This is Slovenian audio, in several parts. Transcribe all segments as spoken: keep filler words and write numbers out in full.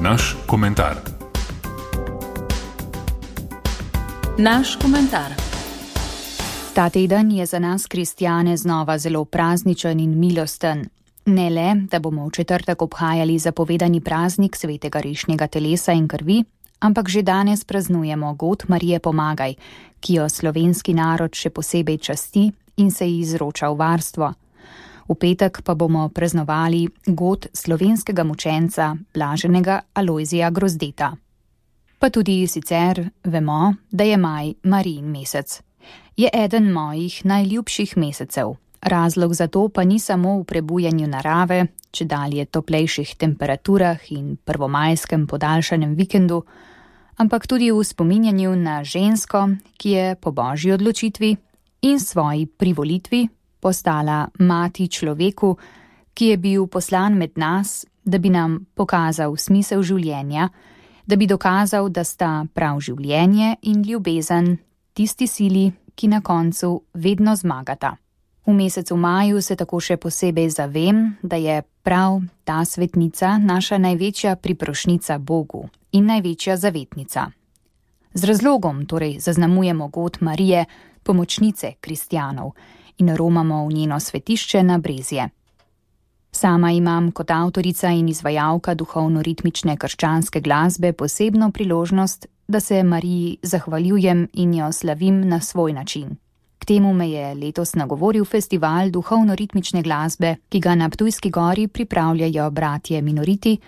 Naš komentar. Naš komentar. Ta teden je za nas kristjane znova zelo prazničen in milosten. Ne le, da bomo v četrtek obhajali zapovedani praznik svetega rešnjega telesa in krvi, ampak že danes praznujemo god Marije Pomagaj, ki jo slovenski narod še posebej časti in se ji izroča v varstvo. V petek pa bomo praznovali god slovenskega mučenca, blaženega Alojzija Grozdeta. Pa tudi sicer vemo, da je maj Marijin mesec. Je eden mojih najljubših mesecev. Razlog za to pa ni samo v prebujanju narave, čedalje toplejših temperaturah in prvomajskem podaljšanem vikendu, ampak tudi v spominjanju na žensko, ki je po božji odločitvi in svoji privolitvi postala mati človeku, ki je bil poslan med nas, da bi nam pokazal smisel življenja, da bi dokazal, da sta prav življenje in ljubezen tisti sili, ki na koncu vedno zmagata. V mesecu maju se tako še posebej zavem, da je prav ta svetnica naša največja priprošnica Bogu in največja zavetnica. Z razlogom torej zaznamujemo god Marije, pomočnice kristjanov, in romamo v njeno svetišče na Brezje. Sama imam kot avtorica in izvajalka duhovno-ritmične krščanske glasbe posebno priložnost, da se Mariji zahvaljujem in jo slavim na svoj način. K temu me je letos nagovoril festival duhovno-ritmične glasbe, ki ga na Ptujski gori pripravljajo bratje Minoriti,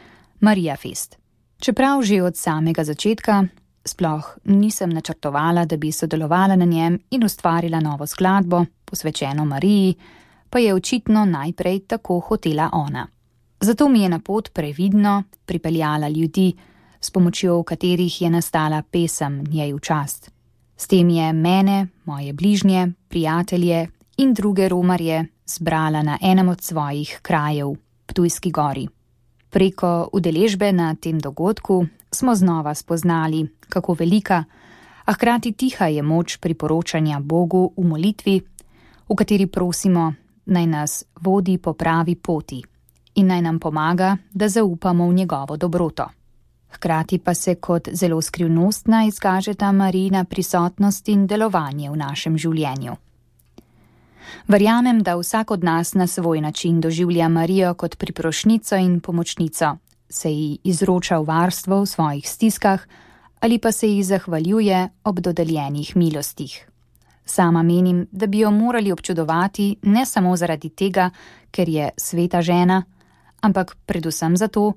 Marija Fest. Čeprav že od samega začetka sploh nisem načrtovala, da bi sodelovala na njem in ustvarila novo skladbo, posvečeno Mariji, pa je očitno najprej tako hotela ona. Zato mi je na pot previdno pripeljala ljudi, s pomočjo katerih je nastala pesem njej v čast. S tem je mene, moje bližnje, prijatelje in druge romarje zbrala na enem od svojih krajev, Ptujski gori. Preko udeležbe na tem dogodku smo znova spoznali, kako velika, a hkrati tiha je moč priporočanja Bogu v molitvi, v kateri prosimo, naj nas vodi po pravi poti in naj nam pomaga, da zaupamo v njegovo dobroto. Hkrati pa se kot zelo skrivnostna izkažeta Marijina prisotnost in delovanje v našem življenju. Verjamem, da vsak od nas na svoj način doživlja Marijo kot priprošnico in pomočnico, se ji izroča v varstvo v svojih stiskah ali pa se ji zahvaljuje ob dodeljenih milostih. Sama menim, da bi jo morali občudovati ne samo zaradi tega, ker je sveta žena, ampak predvsem zato,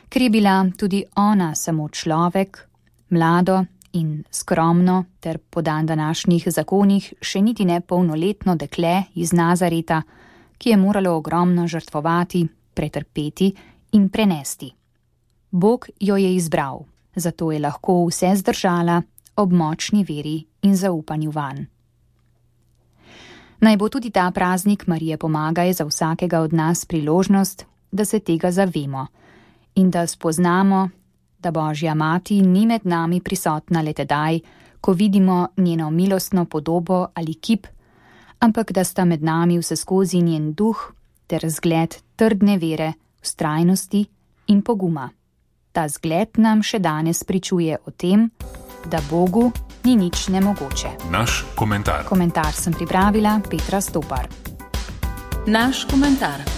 ker je bila tudi ona samo človek, mlado in skromno ter po dandanašnjih zakonih še niti ne polnoletno dekle iz Nazareta, ki je moralo ogromno žrtvovati, pretrpeti in prenesti. Bog jo je izbral, zato je lahko vse zdržala ob močni veri in zaupanju vanj. Naj bo tudi ta praznik Marije Pomagaj za vsakega od nas priložnost, da se tega zavemo in da spoznamo, da Božja mati ni med nami prisotna le tedaj, ko vidimo njeno milostno podobo ali kip, ampak da sta med nami vseskozi njen duh ter zgled trdne vere, vztrajnosti in poguma. Ta zgled nam še danes pričuje o tem, da Bogu ni nič nemogoče. Naš komentar. Komentar sem pripravila Petra Stopar. Naš komentar.